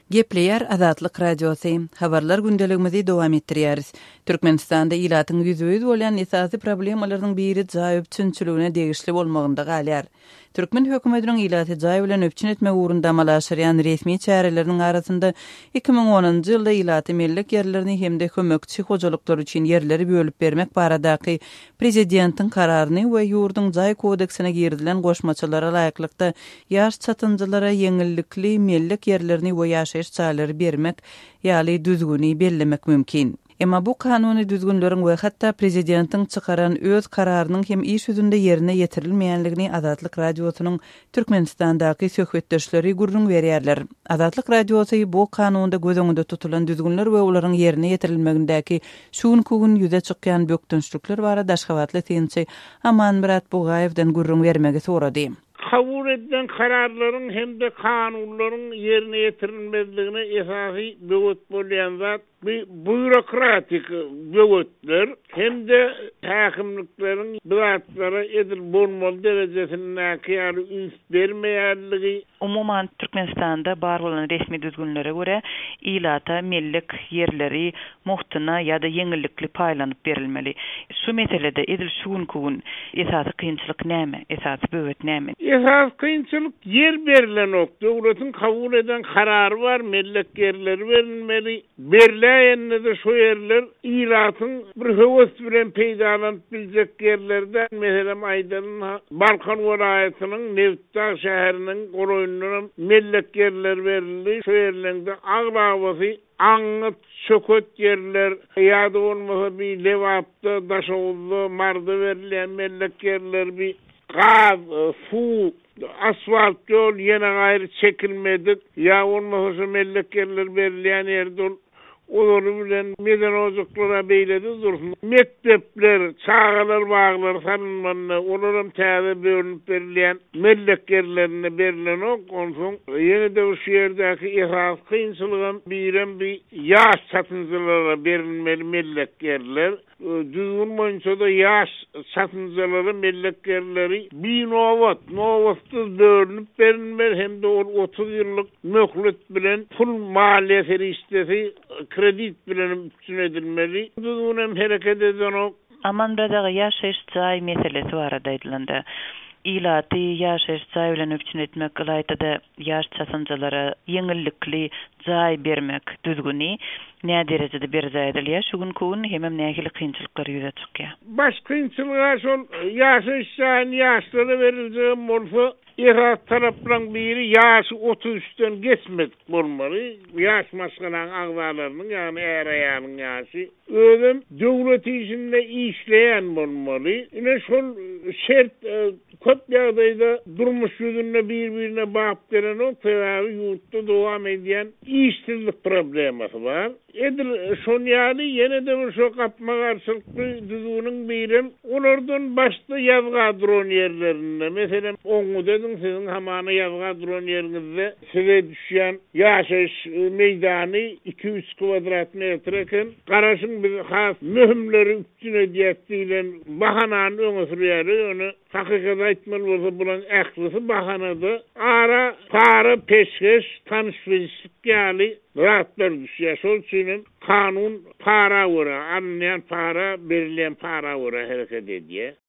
Gepleýär Azatlyk Radiosy. Habarlar gündeligimizi dowam etdirýäris. Türkmenistanda ilatyň ýüzbe-ýüz bolýan esasy problemalarynyň biri jaý üpjünçiligine degişli bolmagynda galýar. Türkmen hökümetiniň ilaty jaý bilen üpjün etmek ugrunda amala aşyrýan resmi çäreleriniň arasynda 2010-njy ýylda ilaty mellek ýerlerini hem-de kömekçi hojalyklar üçin ýerleri bölüp bermek baradaky Prezidentiň kararyny we ýurduň Jaý kodeksine girizilen goşmaçalara laýyklykda ýaş çatynjalara ýeňillikli mellek ýerlerini we ýaşaýyş jaýlary bermek ýaly düzgüni bellemek mümkin. Emma bu kanuny düzgünleriň we hatda prezidentiň çykaran öz kararynyň hem iş ýüzünde ýerine ýetirilmeýänligini Azatlyk Radiosynyň Türkmenistandaky söhbetdeşleri gürrüň berýärler. Azatlyk Radiosy bu kanunda göz öňünde tutulan düzgünler we olaryň ýerine ýetirilmegindäki şu günki gün ýüze çykýan bökdençlikler barada aşgabatly synçy Amanmyrat Bugaýewden gürrüň bermegi sorady. Kabul edilen kararlaryň hem-de kanunlaryň ýerine ýetirilmezligine esasy böwet bolýan zat Bu býurokratik böwetler hem-de häkimlikleriň bu zatlara edil bolmaly derejesindäki ýaly üns bermeýänligi. Umuman, Türkmenistanda bar bolan resmi düzgünlere görä, ilata mellek ýerleri mugtuna ýa-da ýeňillikli paýlanyp berilmeli. Şu meselede edil şu günki gün esasy kynçylyk näme? Esasy böwet näme? Esasy kynçylyk ýer berilenok. Döwletiň kabul eden karary bar, mellek ýerleri berilmeli. Berläýende-de şo ýerler ilatyň bir höwes bilen peýdalanyp biljek ýerleri däl. Meselem aýdalyň, Balkan welaýatynyň Nebitdag şäheriniň golaýyndanam mellek ýerleri berildi. Şo ýerleň-de aglabasy Aňňyt, çöket ýerler, ýa-da bolmasa bi Lebapda, Daşoguzda, Maryda berilýän mellek ýerler bi gaz, suw, asfalt ýol ýene gaýry çekilmedik, ýa bolmasa şo mellek ýerler berilýän ýerde ol ozaly bilen medeni ojaklar-a beýlede dursun, mekdepler, çagalar baglary salynmanda olaram täze bölünip berilýän Mellek ýerlerinde berlenok, onsoň ýene-de bir şu ýerdäki esasy kynçylygam birem bi ýaş çatynjalara berilmeli mellek ýerler. Düzgün boýunça-da ýaş çatynjalara mellek ýerleri binobat, nobatsyz bölünip berilmeli hem-de ol 30 ýyllyk möhlet bilen pul maliýe serişdesi kredit bilenem üpjün edilmeli. Düzgünem hereket edenok. Amanmyrat aga, ýaşaýyş jaý meselesi barada aýdylanda, ilaty ýaşaýyş jaý bilen üpjün etmek, ylaýta-da ýaş çatynjalara ýeňillikli jaý bermek düzgüni näderejede berjaý edilýär şu günki gün hemem nähili kynçylyklar ýüze çykýar? Baş kynçylyg-a şol ýaşaýyş jaýyny ýaşlara beriljegem bolsa, esasy talaplaryň biri ýaşy 33-den geçmedik bolmaly, ýaş maşgalaň agzalarynyň, ýagny är-aýalyň ýaşy. Özem döwlet işinde işleýän bolmaly. Ine şol şert köp ýagdaýda durmuş ýüzünde bir-birine bap gelenok, sebäbi ýurtda dowam edýän işsizlik problemasy bar. Edil şon ýaly ýene-de bir şo gapma-garşylykly düzgüniň birem olardan başda ýazga duran ýerlerinde, meselem, oňňut ediň siziň hamana ýazga duran ýeriňizde size düşýän ýaşaýyş meýdany iki-üç kwadrat metr eken. Garaşyň biz has möhümleri üpjün edýäs diýlen bahanany öňe sürýärler, ýöne hakykaty aýtmaly bolsa bulaň ählisi bahanada ara para, peşgeş, tanyş-bilişlik ýaly zatlar düşýär. Şol üçin hem kanun para görä, alynýan para, berilýän para görä hereket edýär.